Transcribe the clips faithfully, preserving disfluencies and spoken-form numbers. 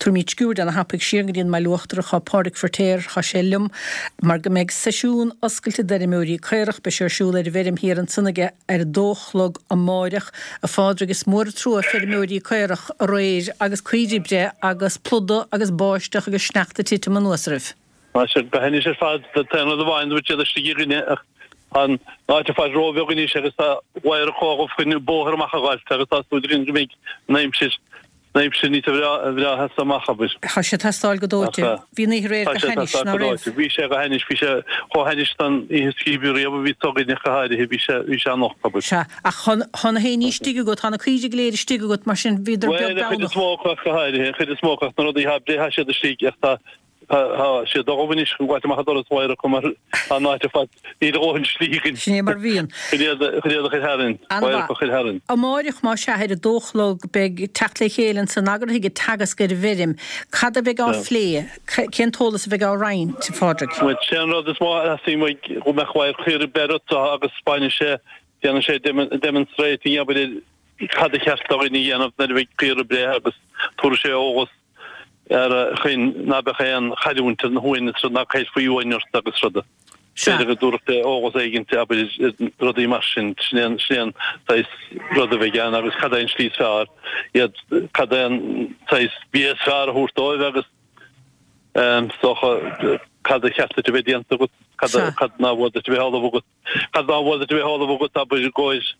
Tabharfaimid sciuird ana-thapaidh siar go dtí an mBaile Uachtarach tá Pádraig Feiritéar tá sé liom mar go mbeidh seisiún oscailte d'fheirmeoirí caorach beidh sé ar siúl ar an bhfeirm thiar ansan aige ar a dó a chlog amáireach a Phádraig is mór an trua feirmeoirí caorach aréir agus caoirigh ag breith agus pluda agus báisteach agus sneachta ag titim anuas oraibh. Tá sé go hainnis ar fad an t-aon rud amháin dúirt siad istigh againne ach an áit ar fad róbheag anois agus tá wire chomh chun bóthar amach a ghabháil agus tá súil againn go mbeidh an aimsir an aimsir níos bhreá as amach abair. Tá sé ag teastáil go dóite. Bhí an oíche aréir Tá go sé hainnis teastáil ná go raibh? dóite. Bhí sé go hainnis, bhí sé chomh hainnis don oíche scríbe riamh a bhí againne go háirithe, bhí sé bhí sé anocht abair. Sea, ach tá na héin istigh agat, tá na caoirigh go léir istigh agat, mar sin bhíodar Bhuel, beag an chuid is beannach. mó acu ach go háirithe, an chuid is mó acu ach na rudaí atá ag breith tá siad istigh ach tá Tá siad dubh anois chun gabháilt amach an doras mháire acu mar tá an áit ar fad níl a dhóthain slí againn. Sin é mar a bhíonn. Chun iad chun iad a chur tharainn, mháire acu a chur tharainn. Amáireach más ea ar a dó a chlog beidh teacht le chéile ansan eagraithe ag Teagasc ar an bhfeirm. Cad a bheidh á phlé? Cén t-eolas a bheidh á roinnt, a Phádraig? Bhuel, sé an rud is mó a theastaíonn uaidh go mbeadh wire caoirigh ag breith orthu agus baineann sé, déanann sé demonstrating abair ar cad a cheart do dhaoine a dhéanamh nuair a bheidh caora ag breith agus tabharfaidh sé eolas ar chaoi ná beadh aon chailliúint ar na huain is rud ná caillfí uain ort agus ruda. B'fhéidir go dtabharfadh sé eolas éigin abair rudaí mar sin, sin é an sin é an saghas rud a bheidh ann agus cad é an slí is fearr iad cad é an saghas bia is fearr a thabhairt dóibh agus is dócha cad a cheart duit a bheith déanta agat, cad cad nár mhór duit a bheith ullamh agat, cad nár mhór duit a bheith ullamh agat abair i gcomhair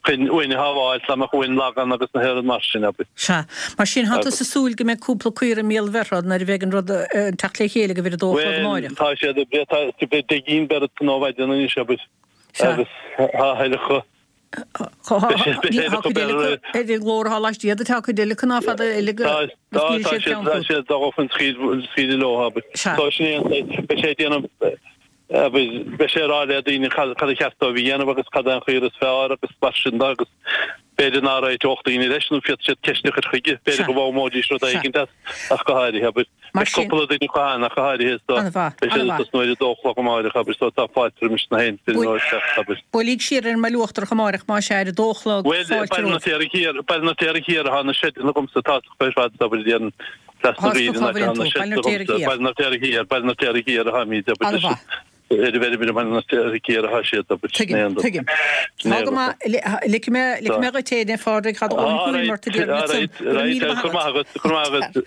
chun uain a shábháil, dá mbeadh uain lag ann agus na héireann mar sin, abair. Sea. Mar sin, tá tusa ag súil go mbeidh cúpla caora i mbéal bheirthe nuair a bheidh an rud, an teacht le chéile agaibh ar a dó a chlog Bhuel, amáireach. tá siad ag breith, tá beidh deich gcinn beirt ó mhaidin anois, abair. Sea. Agus tá a thuilleadh acu. Tá Beidh sé, beidh sé tá acu cuid eile ar, acu ar an nglór atá laistigh díot, tá cuid eile acu ná fada eile go Tá, go tá, scaoilfidh tá siad siad, ceann tá fút. siad dá dhul chun scaoil, scaoileadh leo, abair. Sea. Tá sin é an saghas, beidh sé ag déanamh, Abair, beidh sé ag rá le daoine cad a cheart dóibh a dhéanamh agus cad é an chaora is fearr agus mar sin de agus b'fhéidir ná réiteodh daoine leis nó féadfaidh siad ceist a chur chuige, b'fhéidir go bhfoghlaimeoidís rud éigin as ach go háirithe, abair. Mar Beidh sin. cúpla duine acu ann ach go háirithe so An-mhaith, beidh siad ag an-mhaith. tosnú ar a dó a chlog amáireach, abair, so tá fáilte roimis na haon feirmeoir teacht, abair. Buailíg siar ar an mBaile Uachtarach amáireach más ea ar a dó a chlog, Bhuel, fáilte Baile an romhat. Fheirtéaraigh Thiar, Baile an Fheirtéaraigh Thiar atá na seideanna agamsa, tá ar fad, abair, déarfainn. Tá tú cá bhfuil tú, Baile an Fheirtéaraigh Thiar. Baile an Fheirtéaraigh Thiar, Baile an Fheirtéaraigh Thiar atháimid, abair, An-mhaith. ar an bhfeirm ar Bhaile an Fheirtéaraigh Thiar atá siad, abair, sin Tuigim, é an rud. tuigim. Sin é Tá an go rud. maith, ligfidh mé, ligfidh mé dhuit é, a Phádraig, tá do dhóthain cúraim ort a déarfainn ansan. Go raibh míle maith agat. Go raibh maith agat, go raibh maith agat.